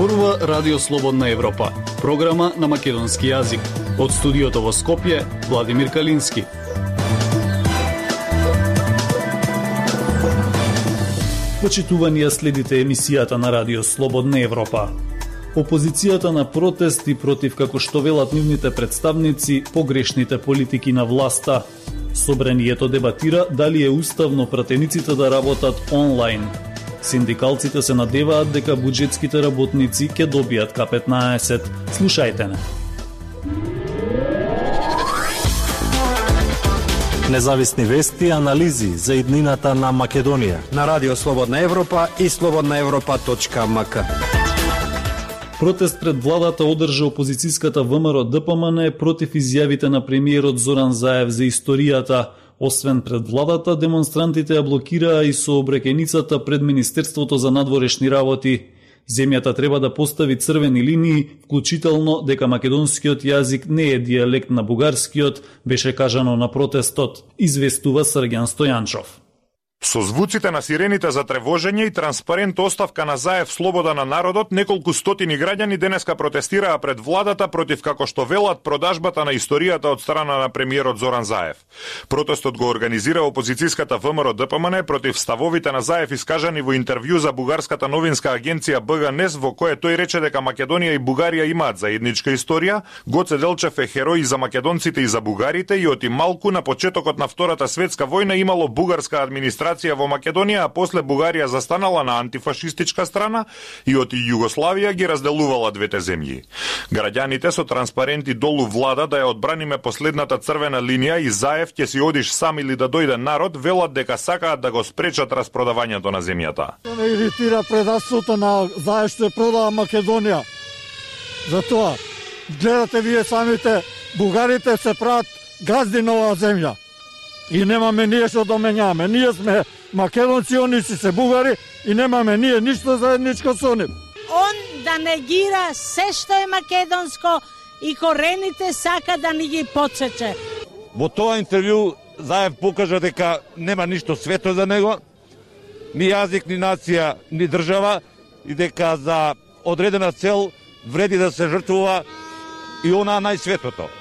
Зборува Радио Слободна Европа, програма на македонски јазик. Од студиото во Скопје, Владимир Калински. Почитувани, следите емисијата на Радио Слободна Европа. Опозицијата на протести против, како што велат нивните представници, погрешните политики на власта. Собранието дебатира дали е уставно пратениците да работат онлайн. Синдикалците се надеваат дека буџетските работници ќе добијат К-15. Слушајте не. Независни вести и анализи за иднината на Македонија на Радио Слободна Европа и slobodnaevropa.mk. Протест пред владата одржа опозицијската ВМРО-ДПМН против изјавите на премиерот Зоран Заев за историјата. Освен пред владата, демонстрантите ја блокираа и сообраќајницата пред Министерството за надворешни работи. Земјата треба да постави црвени линии, вклучително дека македонскиот јазик не е дијалект на бугарскиот, беше кажано на протестот, известува Срѓан Стојанчов. Со звуците на сирените за тревожење и транспарент оставка на Заев слобода на народот, неколку стотини граѓани денеска протестираа пред владата против, како што велат, продажбата на историјата од страна на премиерот Зоран Заев. Протестот го организира опозицијската ВМРО-ДПМН против ставовите на Заев искажани во интервју за бугарската новинска агенција БГНЕС, во кое тој рече дека Македонија и Бугарија имаат заедничка историја, Гоце Делчев е херој и за македонците и за бугарите и оти малку на почетокот на Втората светска војна имало бугарска администрација во Македонија, а после Бугарија застанала на антифашистичка страна и од Југославија ги разделувала двете земји. Граѓаните со транспаренти долу влада да ја одбраниме последната црвена линија и Заев ќе си одиш сам или да дојде народ, велат дека сакаат да го спречат распродавањето на земјата. Не иритира предавството на Заев што ја продава Македонија. Затоа гледате вие самите, бугарите се прават газди на оваа земја. И немаме ние што да менјаме. Ние сме македонци, они си се бугари и немаме ние ништо заедничко со нив. Он да негира се што е македонско и корените сака да ни ги потсече. Во тоа интервју Заев покажа дека нема ништо свето за него, ни јазик, ни нација, ни држава и дека за одредена цел вреди да се жртвува и она најсветото.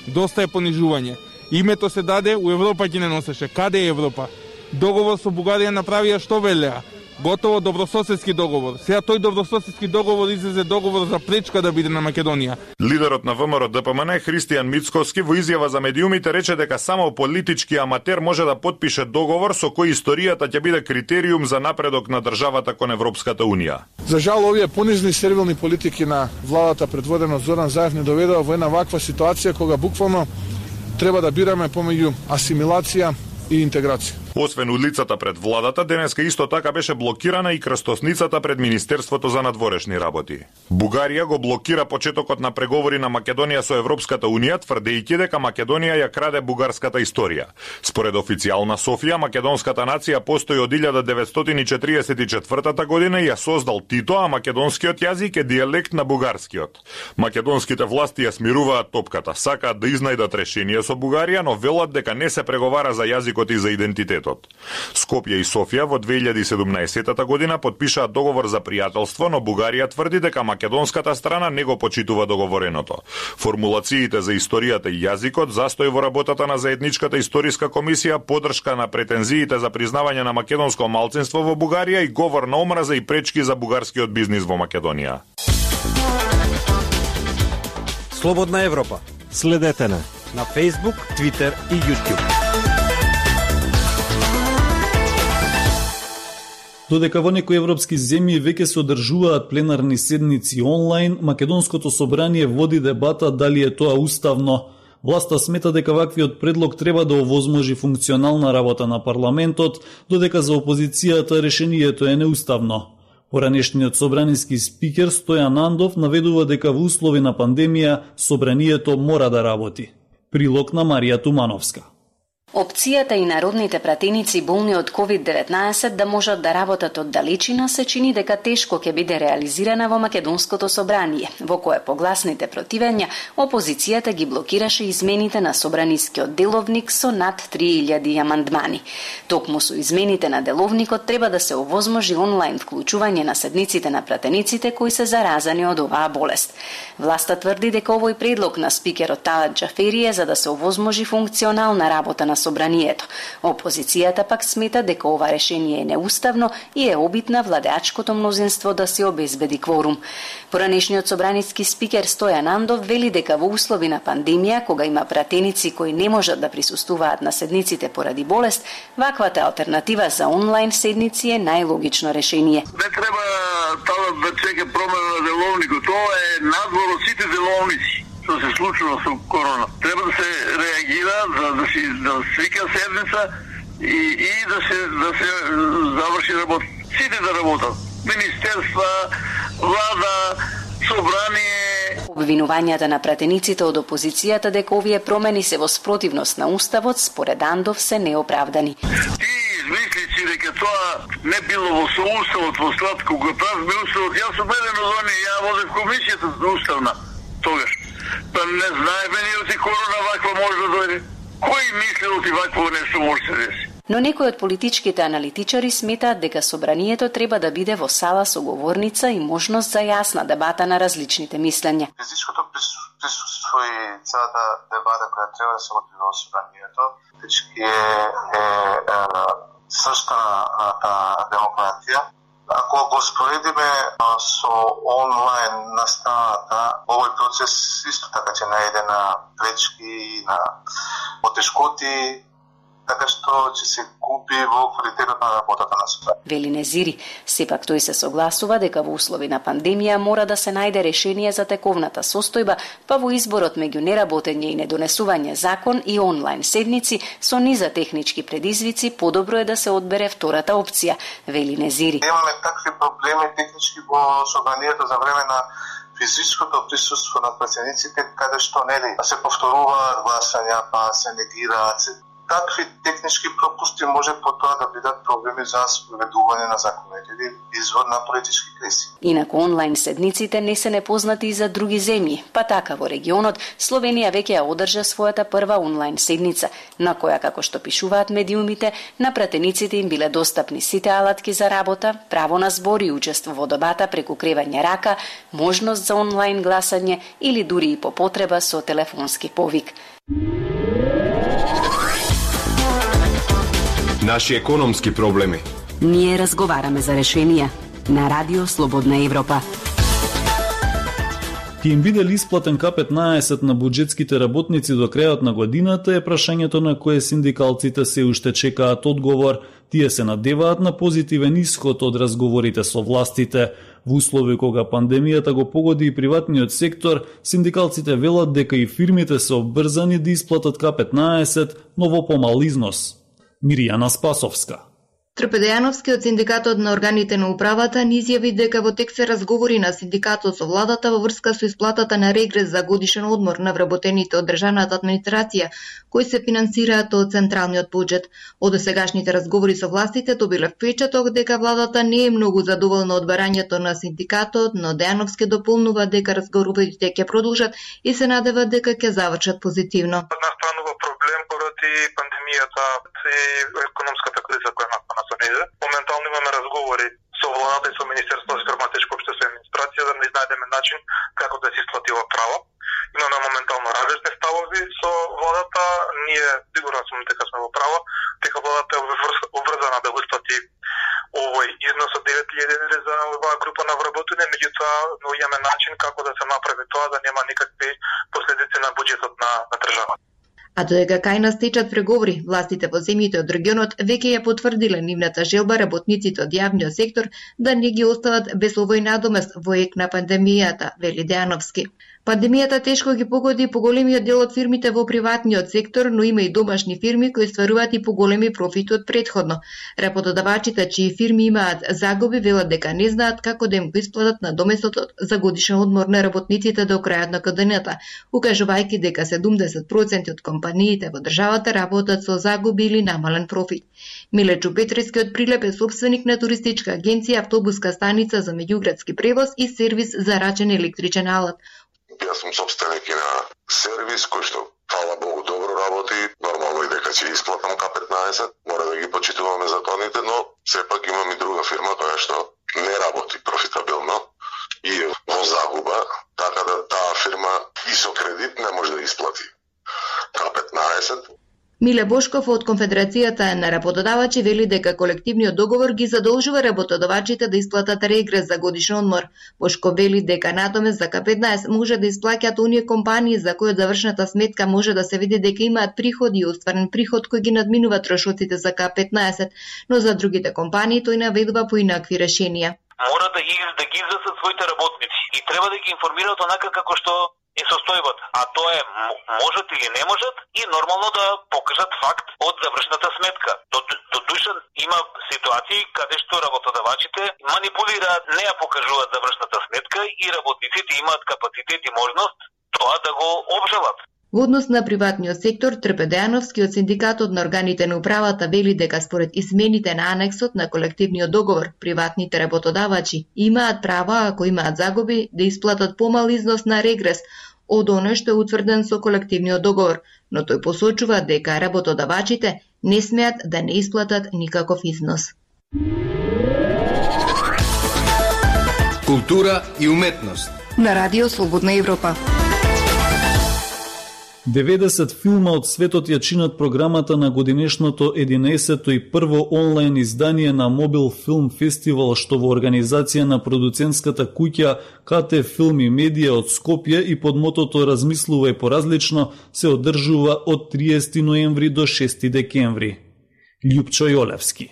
Доста е понижување. Името се даде, у Европа ги не носеше. Каде е Европа? Договор со Бугарија направија што велеа? Готово добрососедски договор. Сега тој добрососедски договор излезе договор за пречка да биде на Македонија. Лидерот на ВМРО-ДПМН Христијан Мицковски во изјава за медиумите рече дека само политички аматер може да потпише договор со кој историјата ќе биде критериум за напредок на државата кон Европската унија. За жал, овие понизни сервилни политики на владата предводена од Зоран Заев не доведува во една ваква ситуација кога буквално треба да бираме помеѓу асимилација и интеграција. Освен улицата пред владата, денеска исто така беше блокирана и крстосницата пред Министерството за надворешни работи. Бугарија го блокира почетокот на преговори на Македонија со Европската унија, тврдејќи дека Македонија ја краде бугарската историја. Според официјална Софија, македонската нација постои од 1944 година и ја создал Тито, а македонскиот јазик е дијалект на бугарскиот. Македонските власти ја смируваат топката, сакаат да изнајдат решение со Бугарија, но велат дека не се преговара за јазикот и за идентитет. Скопје и Софија во 2017 година подпишаат договор за пријателство, но Бугарија тврди дека македонската страна не го почитува договореното. Формулациите за историјата и јазикот, застој во работата на заедничката историска комисија, подршка на претензиите за признавање на македонско малцинство во Бугарија и говор на омраза и пречки за бугарскиот бизнис во Македонија. Слободна Европа. Следете на Facebook, Twitter и YouTube. Додека во некои европски земји веќе се одржуваат пленарни седници онлайн, Македонското собрание води дебата дали е тоа уставно. Власта смета дека ваквиот предлог треба да овозможи функционална работа на парламентот, додека за опозицијата решението е неуставно. Поранешниот собраниски спикер Стојан Андов наведува дека во услови на пандемија собранието мора да работи. Прилог на Марија Тумановска. Опцијата и народните пратеници болни од COVID-19 да можат да работат од далечина се чини дека тешко ќе биде реализирана во Македонското собрание, во кое по гласните противења опозицијата ги блокираше измените на собранискиот деловник со над 3000 амандмани. Токму со измените на деловникот треба да се овозможи онлайн вклучување на седниците на пратениците кои се заразани од оваа болест. Власта тврди дека овој предлог на спикерот Талат Џафери е за да се овозможи функционална работа на собранието. Опозицијата пак смета дека ова решение е неуставно и е обид на владеачкото мнозинство да се обезбеди кворум. Поранешниот собраниски спикер Стојан Андов вели дека во услови на пандемија, кога има пратеници кои не можат да присуствуваат на седниците поради болест, ваквата алтернатива за онлайн седници е најлогично решение. Не треба Талат да чека промена на деловникот, тоа е надвор од сите деловници што се случува со корона. Треба да се реагира да свика седница и да се заврши работа. Сите да работат. Министерства, влада, собрание. Обвинувањата на пратениците од опозицијата дека овие промени се во спротивност на уставот според Андов се неоправдани. Ти измислици дека тоа не било во соуставот, во склад кога правиме уставот, јас сум еден од оние, ја водев комисијата за уставна тогаш. Па не знаеме ни оти корона ваква може да дојде. Кој мисли оти вакво нешто може да се деси? Но некои од политичките аналитичари сметаат дека собранието треба да биде во сала со говорница и можност за јасна дебата на различните мислења. Физичкото присуство и целата дебата која треба да се води во собранието, фактички е сршта на демократија. Ако го споредиме со онлайн настаната, овој процес исто така ќе најде на пречки и на потешкоти, така што ќе се губи во квалитетот на работата на собранието. Вели Незири, сепак тој се согласува дека во услови на пандемија мора да се најде решение за тековната состојба, па во изборот меѓу неработење и недонесување закон и онлайн седници со низа технички предизвици подобро е да се одбере втората опција, вели Незири. Имаме такви проблеми технички во собранието за време на физичкото присуство на пратениците, каде што нели се повторуваат гласања, па се негираат. Такви технички пропусти може потоа да бидат проблеми за спроведување на законите или извор на политички кризи. Инаку онлайн седниците не се непознати и за други земји, па така во регионот Словенија веќе ја одржа својата прва онлайн седница, на која, како што пишуваат медиумите, на пратениците им биле достапни сите алатки за работа, право на збор и учество во дебата преку кревање рака, можност за онлайн гласање или дури и по потреба со телефонски повик. Наши економски проблеми. Ние разговараме за решенија на Радио Слободна Европа. Ќе им биде ли исплатен К15 на буџетските работници до крајот на годината е прашањето на кое синдикалците се уште чекаат одговор. Тие се надеваат на позитивен исход од разговорите со властите. Во услови кога пандемијата го погоди и приватниот сектор, синдикалците велат дека и фирмите се обрзани да исплатат К15, но во помал износ. Миријана Спасовска. Трпедејановски од синдикатот на органите на управата ни изјави дека во тек се разговори на синдикатот со владата во врска со исплатата на регрес за годишен одмор на вработените од државната администрација, кои се финансираат од централниот буџет. Од досегашните разговори со властите добиле впечаток дека владата не е многу задоволна од барањето на синдикатот, но Дејановски дополнува дека разговорите ќе продолжат и се надева дека ќе завршат позитивно. Настанува проблем поради пандемијата и економската криза која настана со неја. Моментално имаме разговори со владата и со Министерството за граматичко општество и администрација да не најдеме начин како да се исплати ова право. Имаме моментално различни ставови со владата. Ние сигурно сум дека сме во право, дека владата е обврзана да го исплати овој износ од 9000 евра за оваа група на вработени, меѓутоа имаме начин како да се направи тоа да нема никакви последици на буџетот на државата. А додека кај нас течат преговори, властите во земјите од регионот веќе ја потврдиле нивната желба работниците од јавниот сектор да не ги остават без овој надомест во ек на пандемијата, вели Дејановски. Пандемијата тешко ги погоди поголемиот дел од фирмите во приватниот сектор, но има и домашни фирми кои стваруваат и поголеми профити од претходно. Работодавачите чии фирми имаат загуби велат дека не знаат како да им го исплатат надоместот за годишен одмор на работниците до крајот на годината, укажувајќи дека 70% од компаниите во државата работат со загуби или намален профит. Миле Чупетрески од Прилеп е сопственик на туристичка агенција, автобуска станица за меѓуградски превоз и сервис за рачен електричен алат. Јас сум сопственик и на сервис кој што, фала Богу, добро работи. Нормално и дека ќе исплатам К15, мора да ги почитуваме законите, но сепак имам и друга фирма која што не работи профитабилно и е во загуба, така да таа фирма и со кредит не може да исплати К15. Миле Бошков од Конфедерацијата на работодавачи вели дека колективниот договор ги задолжува работодавачите да исплатат регрес за годишен одмор. Бошков вели дека надомест за К15 може да исплаќаат оние компании за кои од завршната сметка може да се види дека имаат приходи и остварен приход кој ги надминува трошоците за К15, но за другите компании тој наведува поинакви решенија. Мора да ги известат своите работници и треба да ги информираат онака како што е состојбата, а тоа е можат или не можат и нормално да покажат факт од завршната сметка. До душа има ситуации каде што работодавачите манипулираат, не ја покажуваат завршната сметка и работниците имаат капацитет и можност тоа да го обжалат. Во однос на приватниот сектор, Трпе Дејановски од Синдикатот на органите на управата вели дека според измените на анексот на колективниот договор, приватните работодавачи имаат права, ако имаат загуби, да исплатат помал износ на регрес од оној што е утврден со колективниот договор, но тој посочува дека работодавачите не смеат да не исплатат никаков износ. Култура и уметност На Радио Слободна Европа. 90 филма од светот ја чинат програмата на годинешното 11-то и прво онлайн издание на Мобил Филм Фестивал, што во организација на продуцентската куќа КТ Филм и Медија од Скопје и под мотото Размислувај поразлично се одржува од 30 ноември до 6 декември. Љупчо Јолевски.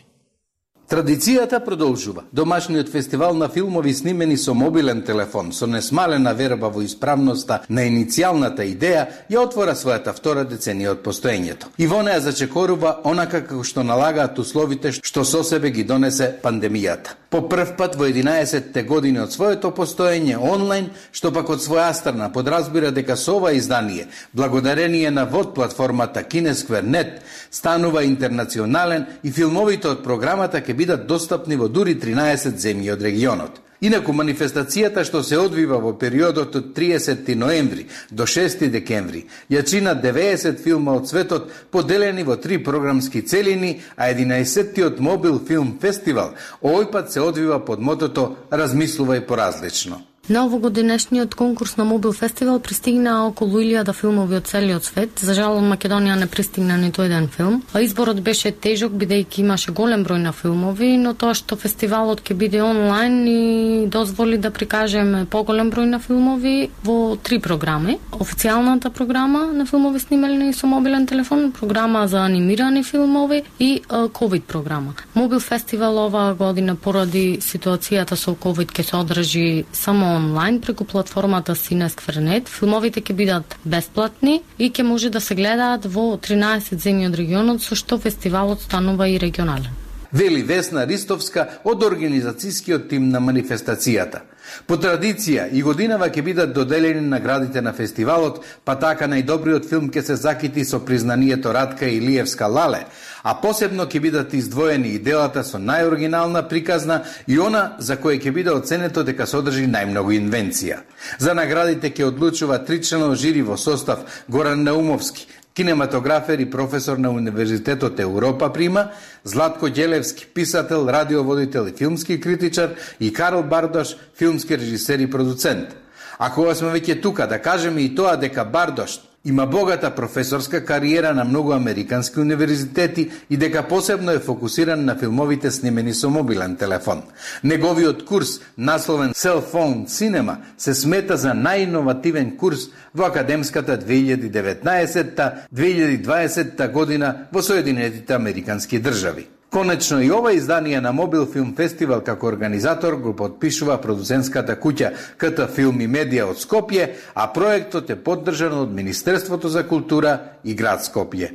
Традицијата продолжува. Домашниот фестивал на филмови снимени со мобилен телефон, со несмалена верба во исправноста на иницијалната идеја, ја отвора својата втора деценија од постоењето. И во неа зачекорува онака како што налагаат условите што со себе ги донесе пандемијата. По прв пат во 11-те години од своето постоење онлайн, што пак од своја страна подразбира дека со ова издание, благодарение на вод платформата Kineskver.net, станува интернационален и филмовите од програмата ќе бидат достапни во дури 13 земји од регионот. Инаку манифестацијата што се одвива во периодот од 30 ноември до 6 декември ја чина 90 филма од светот поделени во 3 програмски целини, а 11-тиот Мобил Филм Фестивал овој пат се одвива под мотото Размислувај поразлично. На овогодинешниот конкурс на Мобил Фестивал пристигна околу 1000 филмови од целиот свет. За жал од Македонија не пристигна ниту еден филм. Изборот беше тежок бидејќи имаше голем број на филмови, но тоа што фестивалот ќе биде онлайн и дозволи да прикажеме поголем број на филмови во 3 програми. Официјалната програма на филмови снимални со мобилен телефон, програма за анимирани филмови и ковид програма. Мобил Фестивал оваа година поради ситуацијата со ковид ќе се одржи само онлайн преку платформата Kineskver.net. Филмовите ќе бидат бесплатни и ќе може да се гледаат во 13 земји од регионот, со што фестивалот станува и регионален. Вели Весна Ристовска од организацијскиот тим на манифестацијата. По традиција и годинава ќе бидат доделени наградите на фестивалот, па така најдобриот филм ќе се закити со признанието Радка Илиевска Лале, а посебно ќе бидат издвоени и делата со најоригинална приказна и она за кое ќе биде оценето дека содржи најмногу инвенција. За наградите ќе одлучува 3-членов жири во состав Горан Наумовски, кинематографер и професор на Универзитетот Европа Прима, Златко Ѓелевски, писател, радиоводител и филмски критичар, и Карл Бардош, филмски режисер и продуцент. А кога сме веќе тука, да кажеме и тоа дека Бардош има богата професорска кариера на многу американски универзитети и дека посебно е фокусиран на филмовите снимени со мобилен телефон. Неговиот курс, насловен Cell Phone Cinema, се смета за најиновативен курс во академската 2019-2020 година во Соединетите Американски држави. Конечно и ова издание на Мобил Филм Фестивал како организатор го подпишува продуцентската куќа КТ Филм и Медија од Скопје, а проектот е поддржан од Министерството за култура и град Скопје.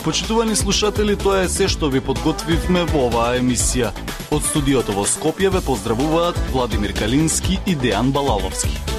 Почитувани слушатели, тоа е се што ви подготвивме во оваа емисија. Од студиото во Скопје ве поздравуваат Владимир Калински и Дејан Балаловски.